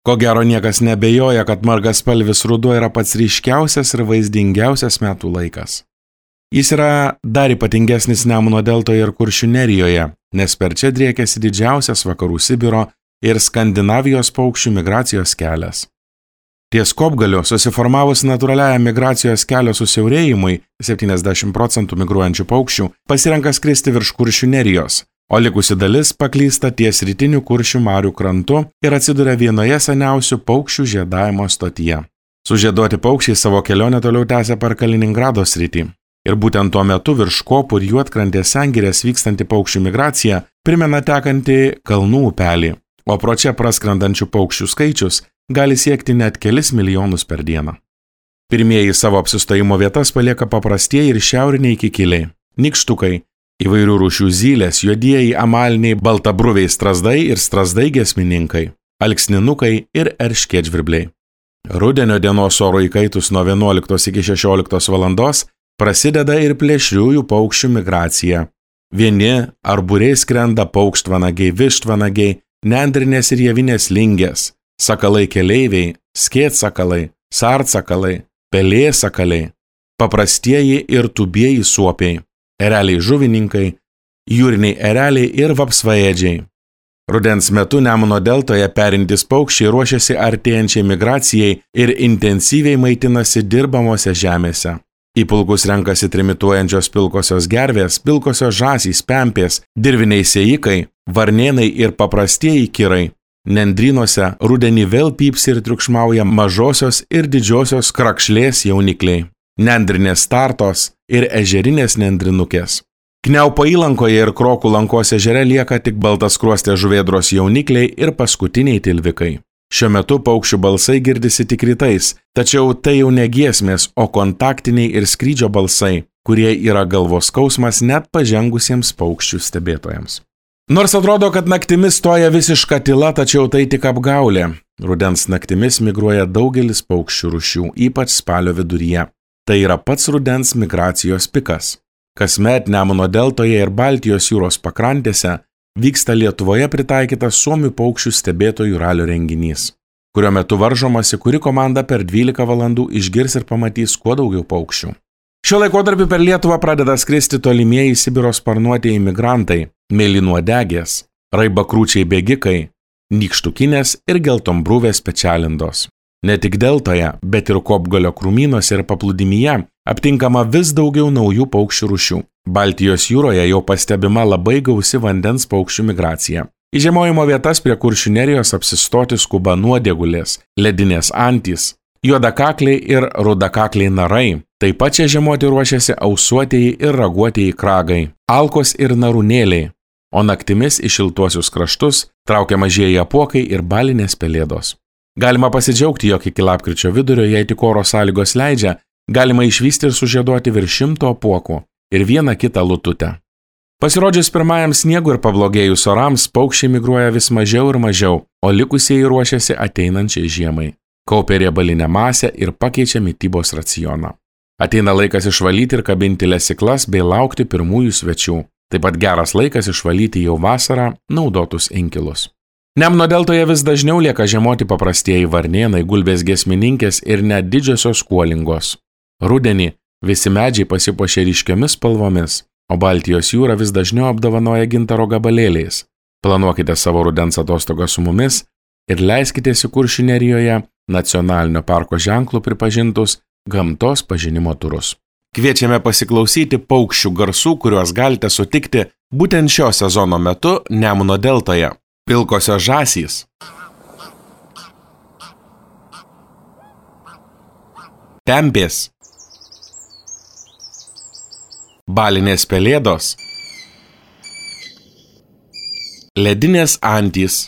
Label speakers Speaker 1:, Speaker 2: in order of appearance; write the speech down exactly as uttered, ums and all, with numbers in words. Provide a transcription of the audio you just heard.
Speaker 1: Ko gero niekas nebejoja, kad margaspalvis ruduo yra pats ryškiausias ir vaizdingiausias metų laikas. Jis yra dar ypatingesnis Nemuno deltoje ir Kuršių nerijoje, nes per čia driekiasi didžiausias vakarų Sibiro ir Skandinavijos paukščių migracijos kelias. Ties Kopgaliu susiformavus natūraliajam migracijos kelio susiaurėjimui, septyniasdešimt procentų migruojančių paukščių pasirenka skristi virš Kuršių nerijos, o likusi dalis paklysta ties rytinių Kuršių marių krantu ir atsiduria vienoje seniausių paukščių žiedavimo stotyje. Sužieduoti paukščiai savo kelionę toliau tęsia per Kaliningrado sritį. Ir būtent tuo metu virš Kopų ir Juodkrantės sengirės vykstanti paukščių migracija primena tekantį kalnų upelį, o pro čia praskrendančių paukščių skaičius gali siekti net kelis milijonus per dieną. Pirmieji savo apsistojimo vietas palieka paprastieji ir šiauriniai kikiliai, nykštukai, įvairių rūšių zylės, juodieji amaliniai baltabruviai strazdai ir strazdai giesmininkai, alksninukai ir erškėtžvirbliai. Rudenio dienos oro įkaitus nuo vienuoliktos iki šešioliktos valandos prasideda ir plėšriųjų paukščių migracija. Vieni ar būriai skrenda paukštvanagiai, vištvanagiai, nendrinės ir javinės lingės, sakalai keleiviai, skėtsakalai, sartsakalai, pelėsakaliai, paprastieji ir tubieji suopiai, ereliai žuvininkai, jūriniai ereliai ir vapsvaėdžiai. Rudens metu Nemuno deltoje perintys paukščiai ruošiasi artėjančiai migracijai ir intensyviai maitinasi dirbamose žemėse. Į pulkus renkasi trimituojančios pilkosios gervės, pilkosios žąsys, pempės, dirviniai sėjikai, varnėnai ir paprastieji kirai. Nendrynuose rudenį vėl pypsi ir triukšmauja mažosios ir didžiosios krakšlės jaunikliai, nendrinės startos ir ežerinės nendrinukės. Kniaupo įlankoje ir Krokų lankos ežere lieka tik baltaskruostės žuvėdros jaunikliai ir paskutiniai tilvikai. Šiuo metu paukščių balsai girdisi tik rytais, tačiau tai jau ne giesmės, o kontaktiniai ir skrydžio balsai, kurie yra galvos skausmas net pažengusiems paukščių stebėtojams. Nors atrodo, kad naktimis stoja visiška tyla, tačiau tai tik apgaulė. Rudens naktimis migruoja daugelis paukščių rūšių, ypač spalio viduryje. Tai yra pats rudens migracijos pikas. Kasmet Nemuno deltoje ir Baltijos jūros pakrantėse vyksta Lietuvoje pritaikytas suomių paukščių stebėtojų ralio renginys, kurio metu varžomasi, kuri komanda per dvylika valandų išgirs ir pamatys kuo daugiau paukščių. Šiuo laikotarpiu per Lietuvą pradeda skristi tolimieji Sibiro sparnuotieji migrantai, mėlynuodegės, raibakrūčiai bėgikai, nykštukinės ir geltonbruvės pečialindos. Ne tik deltoje, bet ir Kopgalio krūmynuose ir paplūdimyje aptinkama vis daugiau naujų paukščių rūšių. Baltijos jūroje jau pastebima labai gausi vandens paukščių migracija. Į žiemojimo vietas prie Kuršių nerijos apsistoti skuba nuodėgulės, ledinės antys, juodakakliai ir rudakakliai narai. Taip pat čia žiemoti ruošiasi ausuotieji ir raguotieji kragai, alkos ir narūnėliai, o naktimis į šiltuosius kraštus traukia mažieji apuokai ir balinės pelėdos. Galima pasidžiaugti, jog iki lapkričio vidurio, jei tik oro sąlygos leidžia, galima išvysti ir sužieduoti virš šimto apuokų ir vieną kitą lututę. Pasirodžius pirmajam sniegui ir pablogėjus orams, paukščiai migruoja vis mažiau ir mažiau, o likusieji ruošiasi ateinančiai žiemai. Kaupia riebalinę masę ir pakeičia mitybos racioną. Ateina laikas išvalyti ir kabinti lesiklas bei laukti pirmųjų svečių. Taip pat geras laikas išvalyti jau vasarą naudotus inkilus. Nemuno deltoje vis dažniau lieka žiemoti paprastieji varnėnai, gulbės giesmininkės ir net didžiosios kuolingos. Rudenį visi medžiai pasipuošia ryškiomis spalvomis, o Baltijos jūra vis dažniau apdovanoja gintaro gabalėliais. Planuokite savo rudens atostogą su mumis ir leiskitės į Kuršių nerijoje nacionalinio parko ženklų pripažintus gamtos pažinimo turus. Kviečiame pasiklausyti paukščių garsų, kuriuos galite sutikti būtent šio sezono metu Nemuno deltoje. Pilkosios žąsys, pempės, balinės pelėdos, ledinės antys,